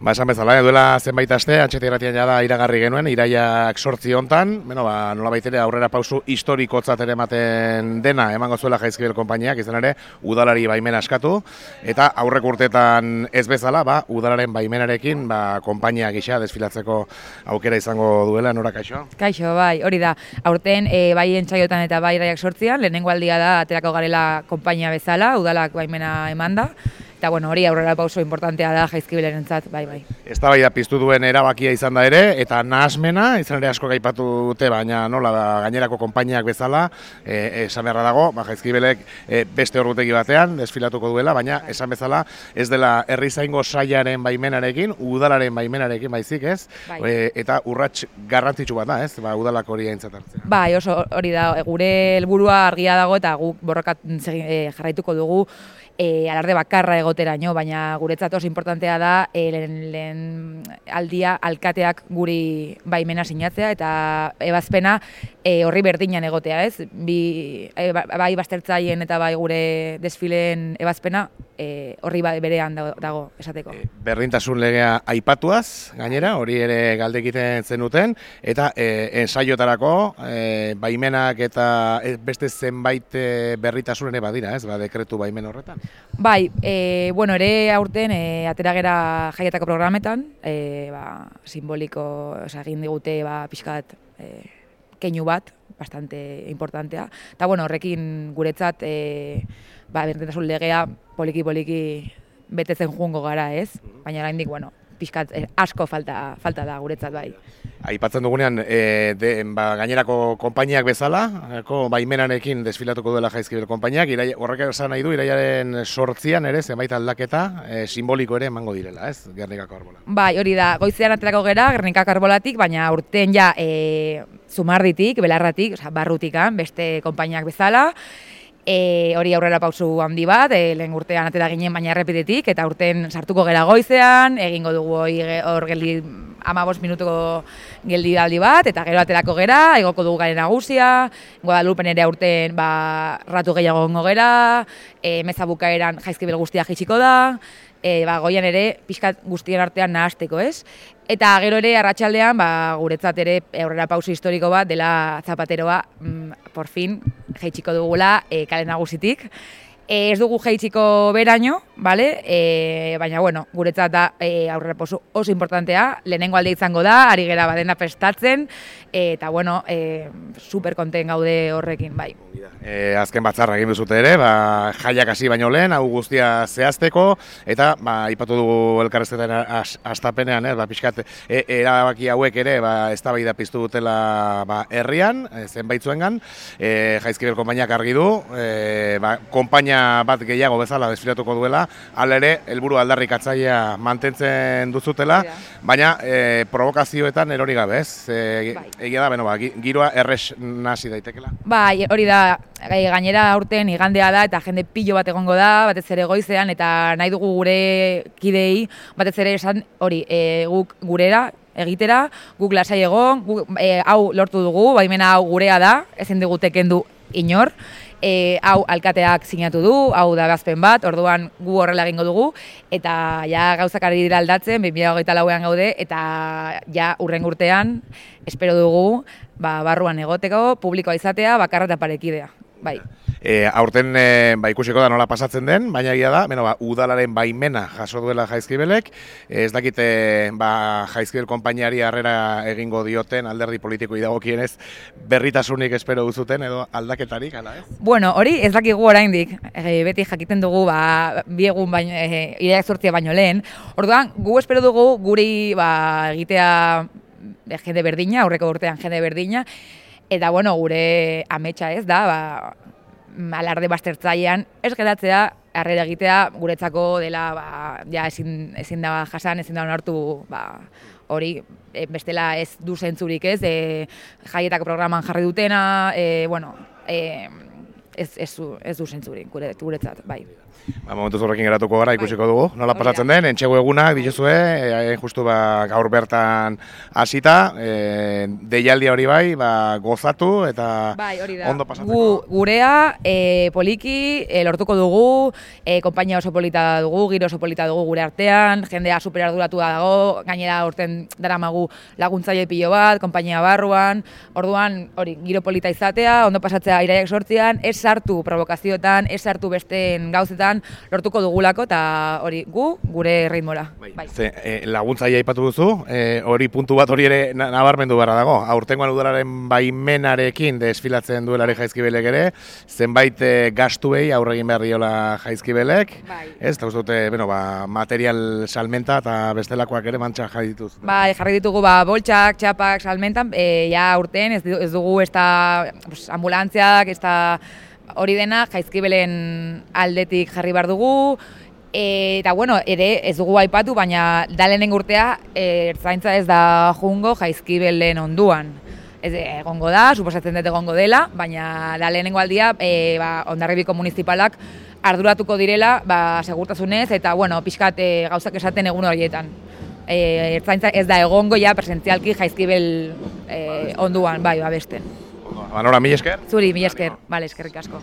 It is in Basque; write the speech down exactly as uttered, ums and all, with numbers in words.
Ba, esan bezala, duela zenbait aste, Antxeti Irratian jada iragarri genuen, iraiak sortzi hontan, bueno, ba, nola baitere aurrera pausu historikotzat ere ematen dena, emango zuela Jaizkibel konpainiak, izan ere, udalari baimena askatu, eta aurrek urteetan ez bezala, ba, udalaren baimenarekin, ba, konpainia gisa desfilatzeko aukera izango duela, nora kaixo? Kaixo, bai, hori da. Aurten, e, bai entsaiotan eta bai iraiak sortzian, lehenengo aldia da, aterako garela konpainia bezala, udalak baimena emanda. Eta bueno, hori aurrera pauso importantea da Jaizkibelenentzat, bai, bai. Eztabaida piztu duen erabakia izan da ere, eta nahasmena, izan ere asko gaipatu dute, baina nola da gainerako konpainiak bezala, e, esan beharra dago, ba, Jaizkibelek e, beste ordutegi batean desfilatuko duela, baina esan bezala ez dela herrizaingo saiaren baimenarekin, udalaren baimenarekin baizik, ez? Bai. E, eta urrats garrantzitsu bat da, ez? Ba, udalak hori aintzat hartzea. Bai, oso hori da, gure helburua argia dago eta guk borrokat e, jarraituko dugu E, alarde bakarra egoteraino, baina guretzat oso importantea da e, lehen, lehen aldia alkateak guri baimena sinatzea eta ebazpena e, horri berdinan egotea, ez? Bi, e, bai baztertzaien eta bai gure desfileen ebazpena e, horri berean dago, dago esateko. E, berdintasun legea aipatuaz, gainera, hori ere galde egiten zenuten, eta e, ensaiotarako e, baimenak eta beste zenbait berritasun ere badira, ez? Ba, dekretu baimen horretan. Bai, e, bueno, ere aurten e, atera gera jaietako programetan, e, ba, simboliko, oza, egin digute ba, pixkat e, keinu bat, bastante importantea. Eta bueno, horrekin guretzat e, ba, berdintasun legea poliki-poliki betetzen joango gara, ez? Baina oraindik, bueno, pixkat e, asko falta, falta da guretzat, bai. Aipatzen dugunean, e, de, ba, gainerako konpainiak bezala, ko, baimenarekin desfilatuko duela Jaizkibel konpainiak, irai, horrek esan nahi du, iraiaren sortzian ere, zenbait aldaketa e, simboliko ere emango direla, ez? Gernikako Arbola. Bai, hori da, goizean aterako gera, Gernikako Arbolatik, baina urten ja e, Zumarditik, Belarratik, oza, barrutikan, beste konpainiak bezala, E, hori aurrera pausu handi bat, e, lehen urtean atera ginen baina errepidetik, eta urten sartuko gera goizean, egingo dugu hor geldi hamabost minutuko geldi aldi bat, eta gero aterako gera, egoko dugu garen nagusia, Guadalupen ere aurten ba, ratu gehiago gongo gera, e, meza bukaeran Jaizkibel guztia jaitsiko da, e, ba, goian ere pixkat guztien artean nahasteko, ez? Eta gero ere arratsaldean ba, guretzat ere aurrera pauso historiko bat dela Zapateroa, mm, por fin, jaitsiko dugula e, kale nagusitik. E, ez dugu jaitsiko beraino, vale? E, baina bueno, guretzat da e, aurrera pauso oso importantea, lehenengo alde izango da, ari gera badena prestatzen, e, eta bueno, e, super konten gaude horrekin, bai. E, azken batzarra egin duzute ere, ba, jaiak hasi baino lehen, hau guztia zehazteko, eta ba, ipatu dugu elkarrezketan hastapenean, eh, ba, pixkat, e, erabaki hauek ere, ba, eztabaida piztu dutela ba, herrian, e, zenbaitzuengan, e, Jaizkibel konpainiak argi du, e, ba, konpainia bat gehiago bezala desfilatuko duela, hala ere, helburu aldarrikatzailea mantentzen duzutela, baina e, provokazioetan erori gabe, ez? E, bai. Egia da, beno, ba, giroa erres nasi daitekela. Bai, hori da, gainera aurten igandea da eta jende pilo bat egongo da, batez ere goizean, eta nahi dugu gure kidei, batez ere esan hori, e, guk gurera, egitera, guk lasai egon, guk, e, hau lortu dugu, baimena hau gurea da, ezin digute kendu inor, e, hau alkateak sinatu du, hau da gazpen bat, orduan gu horrela egingo dugu, eta ja gauzak ari dira aldatzen, bi mila hogeita lauean gaude, eta ja hurrengo urtean, espero dugu, ba, barruan egoteko, publikoa izatea, bakarra eta parekidea. Bai. E, aurten e, ba, ikusiko da nola pasatzen den, baina egia da, beno, ba, udalaren baimena jaso duela Jaizkibelek, e, ez dakite ba, Jaizkibel konpainiari harrera egingo dioten alderdi politikoi dagokienez berritasunik espero duzuten edo aldaketarik, ala ez? Bueno, hori ez dakigu oraindik, e, beti jakiten dugu ba, bi egun baino, e, iraiak sortzia baino lehen, orduan gu espero dugu guri ba, egitea jende berdina, aurreko urtean jende berdina, eta bueno, gure ametsa ez da, ba, alarde baztertzailean ez geratzea, harrera egitea guretzako dela, ba, ja ezin, ezin da jasan, ezin da onartu, ba, hori, e, bestela ez du zentzurik ez, e, jaietako programan jarri dutena, e, bueno, e, ez, ez, ez du zentzurik guretzat, bai. Ba, momentuz horrekin geratuko gara, ikusiko dugu. Nola pasatzen den, entxego egunak dituzue, e, justu ba, gaur bertan hasita, e, deialdia hori bai, ba, gozatu eta bai, hori da. Ondo pasatzeko. Gu, gurea, e, poliki, e, lortuko dugu, e, konpainia oso polita dugu, giro oso polita dugu gure artean, jendea super arduratu dago, gainera urten daramagu laguntzaile pilo bat, konpainia barruan, orduan hori giro polita izatea, ondo pasatzea iraiak sortzian, ez sartu provokazioetan, ez sartu besteen gauzetan, lortuko dugulako eta hori gu gure ritmola. Bai. Bai. Ze, e, laguntzaile aipatu duzu, e, hori puntu bat hori ere nabarmendu beharra dago. Aurtengoan udalaren baimenarekin desfilatzen duelare Jaizkibelek ere, zenbait e, gastuei aurre egin behar diola Jaizkibelek. Bai. Ez, eta uste dute, bueno, ba, material salmenta eta bestelakoak ere mantxa jarri dituz. Bai, jarri ditugu ba, boltsak, txapak, salmentan, e, ja urten ez, ez dugu ez da pues, ambulantziak, ez da hori dena Jaizkibelen aldetik jarri behar dugu, e, eta bueno, ere ez dugu aipatu, baina da lehenengo urtea e, ertzaintza ez da jungo Jaizkibelen onduan. Ez egongo da, suposatzen dut egongo dela, baina da lehenengo aldia e, ba, Hondarribiko municipalak arduratuko direla ba, segurtasunez eta bueno, pixkat e, gauzak esaten egun horietan. E, ertzaintza ez da egongo ja presentzialki Jaizkibel e, onduan, bai, babesten. Ba, nora, mila esker? Zuri, mila esker. Bale, eskerrik asko.